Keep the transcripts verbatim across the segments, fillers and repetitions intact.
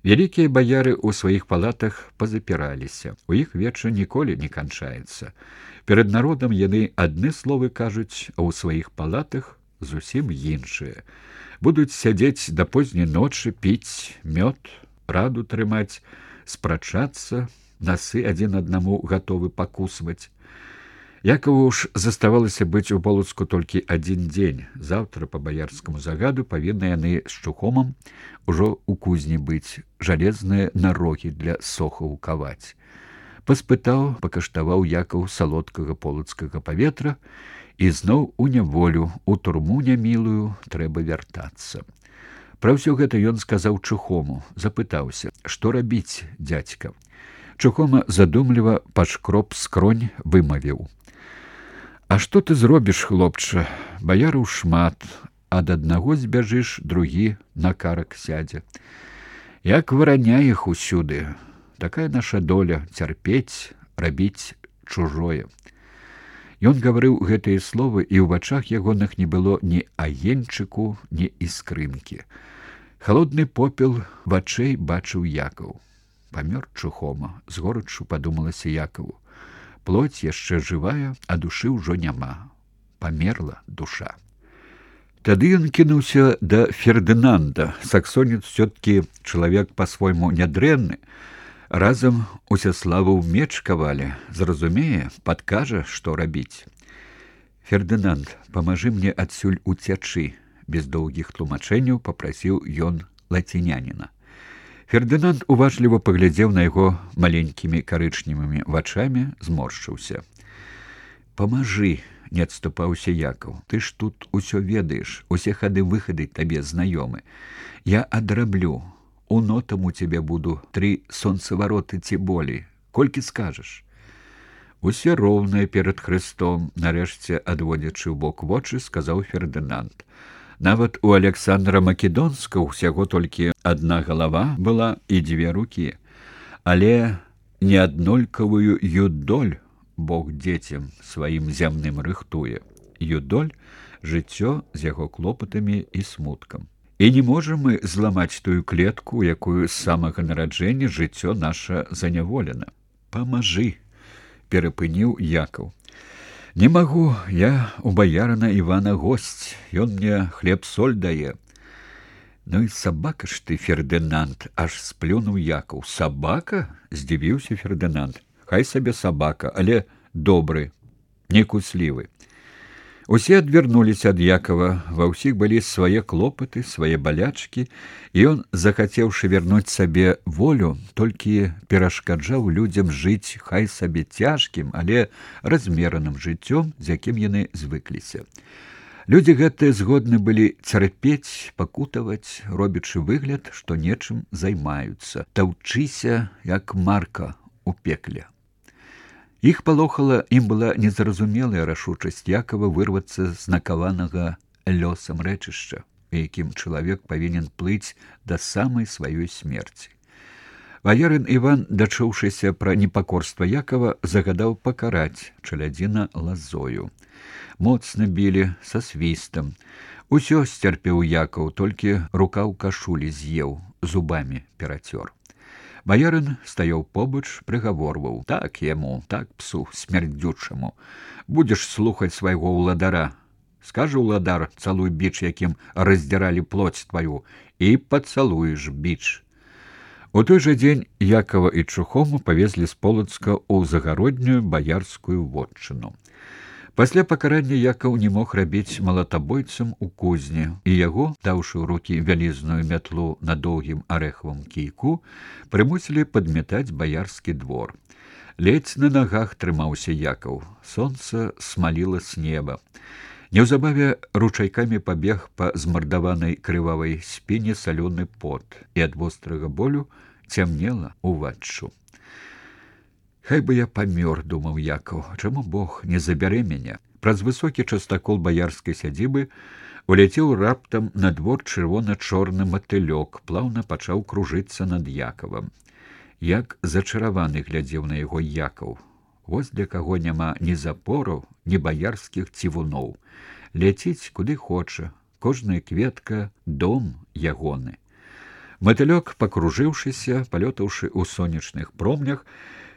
Вялікія баяры ў сваіх палатах пазапіраліся. У іх вечар ніколі не канчаецца. Перад народам яны адны словы кажуць, а ў сваіх палатах зусім іншыя. Будуць сядзець да позняй ночы, піць мёд, раду трымаць, спрачацца, насы адзін аднаму гатовы пакусваць. Якаву ж заставалася быць у Полацку толькі адзін дзень. Заўтра па баярскаму загаду павінны яны з Чухомам ужо ў кузні быць, жалезныя нарогі для сохаў каваць. Паспытаў, пакаштаваў Якаў салодкага полацкага паветра, і зноў у няволю, у турму нямілую трэба вяртацца. Пра ўсё гэта ён сказаў Чухому, запытаўся: што рабіць, дзядзька? Чухома задумліва пашкроб скронь, вымавіў: а што ты зробіш, хлопча? Баяраў шмат, ад аднаго збяжыш, другі на карак сядзе. Як вараня іх усюды. Такая наша доля — цярпець, рабіць чужое. Ён гаварыў гэтыя словы, і ў вачах ягоных не было ні агеньчыку, ні іскрынкі. Халодны попел вачэй бачыў Якаў. Памёр Чухома, з горачу падумалася Якаву. Плоть яшчэ жывая, а душы ўжо няма. Памерла душа. Тады ён кінуўся да Фердынанда. Саксонец ўсё-ткі чалавек па-свойму нядрэнны. Разам Усяславу меч кавалі. Зразумее, падкажа, што рабіць. Фердынанд, памажы мне адсюль уцячы. Без доўгіх тлумачэнняў папрасіў ён лаціняніна. Фердынанд уважліва паглядзеў на яго маленькімі карычневымі вачамі, зморшчыўся. Памажы, не адступаўся Якаў. Ты ж тут усё ведаеш, усе хады-выхады табе знаёмы. Я адраблю. У нотам у цябе буду тры сонцавароты ці болей. Колькі скажаш? Усе роўныя перад Хрыстом, нарэшце адводзячы ў бок вочы, сказаў Фердынанд. Нават у Александра Македонска ўсяго толькі адна галава была і дзве рукі. Але неаднолькавую юдоль Бог дзецям сваім зямным рыхтуе. Юдоль — жыццё з яго клопатамі і смуткам. І не можам мы зламаць тую клетку, якую з самага нараджэння жыццё наша заняволена. Памажы, перапыніў Якаў. Не магу, я у баярана Івана госць, ён мне хлеб-соль дае. Ну і сабака ж ты, Фердынанд, аж сплюнуў Якаў. Сабака? Здзівіўся Фердынанд. Хай сабе сабака, але добры, не куслівы. Усе адвярнуліся ад Якава, ва ўсіх былі свае клопаты, свае балячкі, і ён, захацеўшы вярнуць сабе волю, толькі перашкаджаў людзям жыць хай сабе цяжкім, але размераным жыццём, з якім яны звыкліся. Людзі гэтыя згодны былі цярпець, пакутаваць, робячы выгляд, што нечым займаюцца, таўчыся, як марка у пекле. Іх палохала, ім была незразумелая рашучасць Якава вырвацца з накаванага лёсам рэчышча, у якім чалавек павінен плыць да самай сваёй смерці. Баярын Іван, дачуўшыся пра непакорства Якава, загадаў пакараць чалядзіна лазою. Моцна білі, са свістам. Усё сцярпеў Якаў, толькі рука ў кашулі з'еў, зубамі перацёр. Баярын стаяў побач, прыгаворваў: так яму, так псу смярдзючаму. Будзеш слухаць свайго ўладара. Скажа ўладар, цалуй біч, якім раздзіралі плоць тваю, і пацалуеш біч. У той жа дзень Якава і Чухому павезлі з Полацка ў загароднюю баярскую вотчыну. Пасля пакарання Якаў не мог рабіць малатабойцам у кузні, і яго, даўшы ў рукі вялізную мятлу на доўгім арэхавым кійку, прымусілі падметаць баярскі двор. Ледзь на нагах трымаўся Якаў. Сонца смаліла з неба. Неўзабаве ручайкамі пабег па змардаванай крывавай спіне салёны пот, і ад вострага болю цямнела ўваччу. Хай бы я памёр, думаў Якаў, чаму Бог не забярэ мяне? Праз высокі частакол баярскай сядзібы уляцеў раптам на двор чырвона-чорны матылёк, плаўна пачаў кружыцца над Якавам. Як зачараваны глядзеў на яго Якаў. Вось для каго няма ні запораў, ні баярскіх цівуноў. Ляціць куды хоча, кожная кветка — дом ягоны. Матылёк, пакружыўшыся, палётаўшы ў сонечных промнях,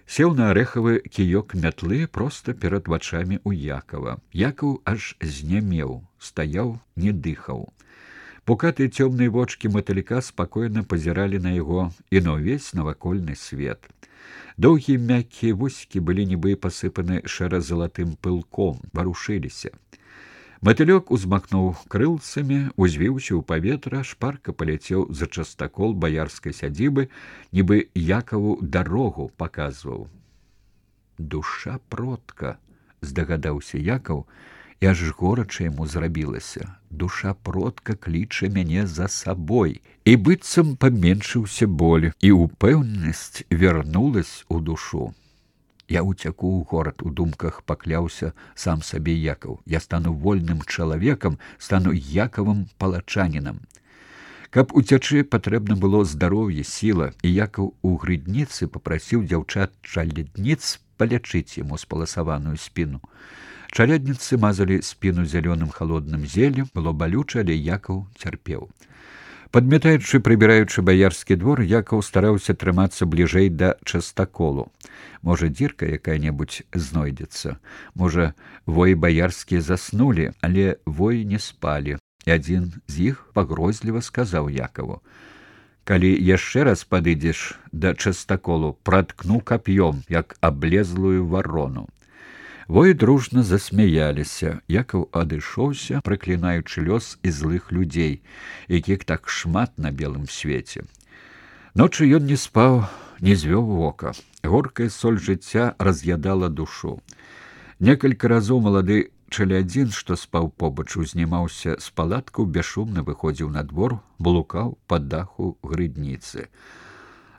сеў на арэхавы кіёк мятлы проста перад вачамі ў Якава. Якаў аж знямеў, стаяў, не дыхаў. Пукатыя цёмныя вочкі матылька спакойна пазіралі на яго і на ўвесь навакольны свет. Доўгія мяккія вусікі былі нібы пасыпаны шэра-залатым пылком, варушыліся. Матылёк узмахнуў крылцамі, узвіўся ў паветра, шпарка паляцеў за частакол баярскай сядзібы, нібы Якаву дарогу паказваў. «Душа продка», — здагадаўся Якаў, і аж горача яму зрабілася. Душа продка кліча мяне за сабой. І быццам паменшыўся боль, і ўпэўненасць вярнулась у душу. Я уцяку ў горад, у думках пакляўся сам сабе Якаў. Я стану вольным чалавекам, стану Якавым палачанінам. Каб уцячы, патрэбна было здароўе, сіла, і Якаў у грыдніцы папрасіў дзяўчат-чалядніц палячыць яму спаласаваную спіну. Чалядніцы мазалі спіну зялёным халодным зеллем, было балюча, але Якаў цярпеў. Падмятаючы, прыбіраючы баярскі двор, Якаў стараўся трымацца бліжэй да частаколу. Можа, дзірка якая-небудзь знойдзецца. Можа, воі баярскія заснулі, але воі не спалі. І адзін з іх пагрозліва сказаў Якаву: «Калі яшчэ раз падыдзеш да частаколу, праткну кап'ём, як аблезлую варону». Воі дружна засмяяліся. Якаў адышоўся, праклінаючы лёс і злых людзей, якіх так шмат на белым свеце. Ночы ён не спаў, не звёў вока. Горкая соль жыцця раз'ядала душу. Некалькі разоў малады чалядзін, што спаў побач, узнімаўся з палаткаў, бесшумна выходзіў на двор, блукаў па даху грыдніцы.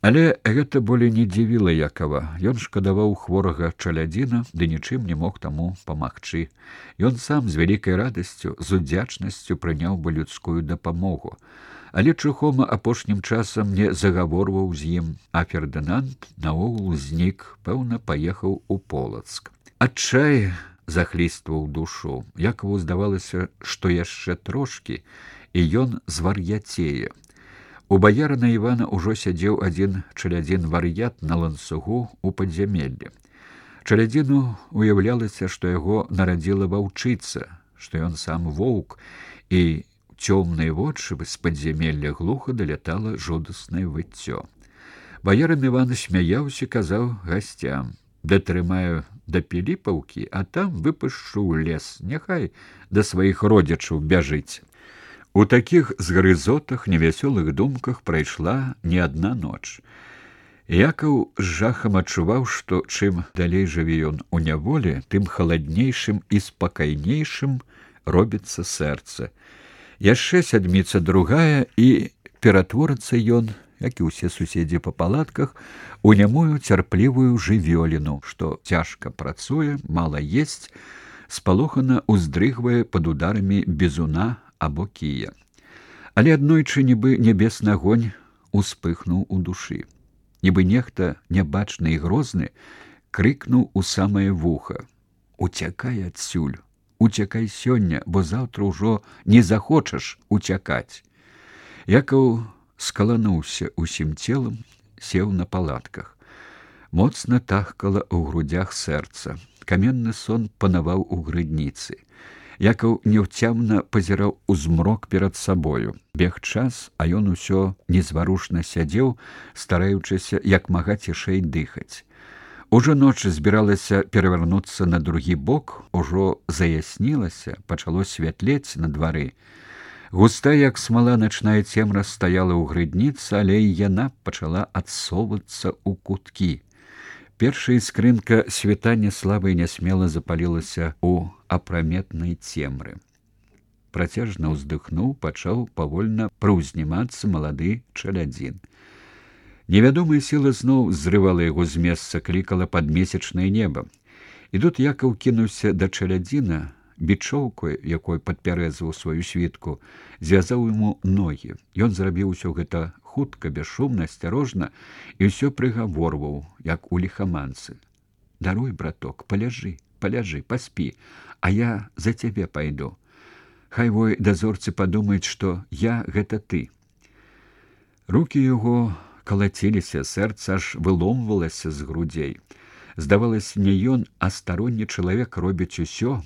Але гэта болей не дзівіла Якава. Ён шкадаваў хворага чалядзіна, ды нічым не мог таму памагчы. Ён сам з вялікай радасцю, з удзячнасцю прыняў бы людскую дапамогу. Але Чухома апошнім часам не загаворваў з ім, а Фердынанд наогул знік, пэўна, паехаў у Полацк. Адчай захлістваў душу. Якаву здавалася, што яшчэ трошкі, і ён звар'яцее. У баярына Івана ўжо сядзеў адзін чалядзін-вар'ят на ланцугу ў падзямеллі. Чалядзіну уяўлялася, што яго нарадзіла ваўчыца, што ён сам воўк, і цёмныя вочы з падзямелля глуха далятала жудаснае выццё. Баярын Іван смяяўся, казаў гасцям: «Датрымаю да Піліпаўкі, а там выпушчу ў лес, няхай да сваіх родзічаў бяжыць». У такіх згрызотах, невясёлых думках прайшла не адна ноч. Якаў з жахам адчуваў, што чым далей жыве ён у няволі, тым халаднейшым і спакайнейшым робіцца сэрца. Яшчэ сядміца другая, і ператворыцца ён, як і ўсе суседзі па палатках, у нямую цярплівую жывёліну, што цяжка працуе, мала есць, спалохана ўздрыгвае пад ударамі бізуна або кія. Але аднойчы нібы нябесны агонь успыхнуў у душы. Нібы нехта нябачны і грозны крыкнуў у самае вуха: «Уцякай адсюль, уцякай сёння, бо заўтра ўжо не захочаш уцякаць». Якаў скалануўся усім целам, сеў на палатках. Моцна тахкала ў грудях сэрца. Каменны сон панаваў у грыдніцы. Якаў няўцямна пазіраў у змрок перад сабою. Бег час, а ён усё незварушна сядзеў, стараючыся як мага цішэй дыхаць. Ужо ноч збіралася перавярнуцца на другі бок, ужо заяснілася, пачало святлець на двары. Густая, як смала, начная цемра стаяла ў грыдніцы, але і яна пачала адсоўвацца ў куткі. Першая іскрынка світання слаба і нясмела запалілася ў апраметнай цемры. Працяжна ўздыхнуў, пачаў павольна прыўзнімацца малады чалядзін. Невядомая сіла зноў зрывала яго з месца, клікала пад месячнае неба. І тут Якаў кінуўся да чалядзіна, бічоўкой, якой падпярэзваў сваю світку, звязаў яму ногі. Ён зрабіў усё гэта хутка, бесшумна, асцярожна, і ўсё прыгаворваў, як у ліхаманцы: «Даруй, браток, паляжы, паляжы, паспі, а я за цябе пайду. Хай вой дазорцы падумаюць, што я гэта ты». Рукі яго калаціліся, сэрца аж выломвалася з грудзей. Здавалася, не ён, а старонні чалавек робіць усё,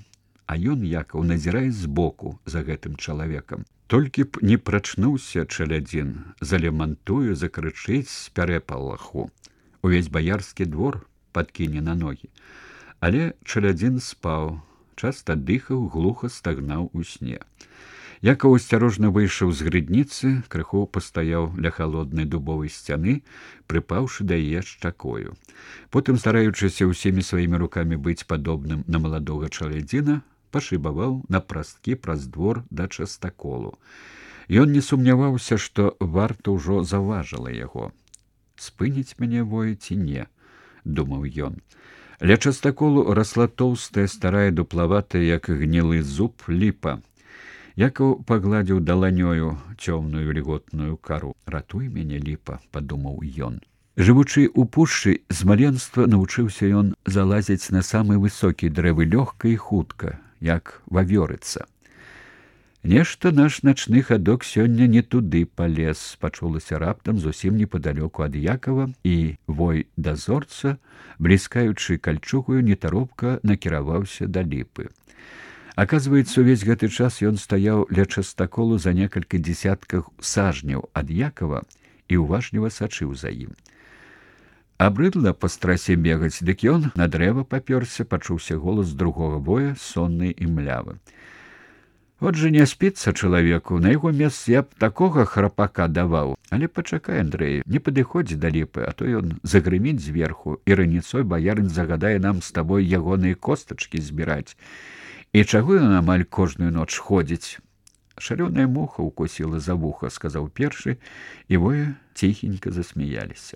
а ён, Якаў, назірае збоку за гэтым чалавекам. Толькі б не прачнуўся чалядзін, залемантуе, закрычыць з пярэпалаху. Увесь баярскі двор падкіне на ногі. Але чалядзін спаў, часта дыхаў, глуха стагнаў у сне. Якаў асцярожна выйшаў з грыдніцы, крыху пастаяў ля халоднай дубовай сцяны, прыпаўшы да яе шчакою. Потым, стараючыся ўсімі сваімі рукамі быць падобным на маладога чалядзіна, пашыбаваў на прасткі праз двор да частаколу. Ён не сумняваўся, што варта ўжо заўважыла яго. «Спыніць мяне вое ці не?» – думаў ён. Ля частаколу расла тоўстая, старая, дуплаватая, як гнілы зуб, ліпа. Якаў пагладзіў даланёю цёмную вільготную кару. «Ратуй мяне, ліпа», – падумаў ён. Жывучы ў пушчы, з маленства навучыўся ён залазіць на самы высокі дрэвы лёгка і хутка, як вавёрыца. «Нешта наш начны хадок сёння не туды палез», – пачулася раптам зусім непадалёку ад Якава, і вой дазорца, бліскаючы кальчугаю, нетаропка накіраваўся да ліпы. Аказваецца, увесь гэты час ён стаяў ля частаколу за некалькі дзесяткаў сажняў ад Якава і уважліва сачыў за ім. Абрыдла па страсе бегаць, дык ён на дрэва папёрся, пачуўся голас другога воя, сонны і млявы. «От жа не спіцца чалавеку, на яго месцы я б такога храпака даваў. Але пачакай, Андрэй, не падыходзі да ліпы, а то ён загрыміць зверху, і раніцой баярын загадае нам з табой ягоныя костачкі збіраць. І чаго ён амаль кожную ноч ходзіць?» «Шалёная муха укусіла за вуха», – сказаў першы, і вое ціхенька засмяяліся.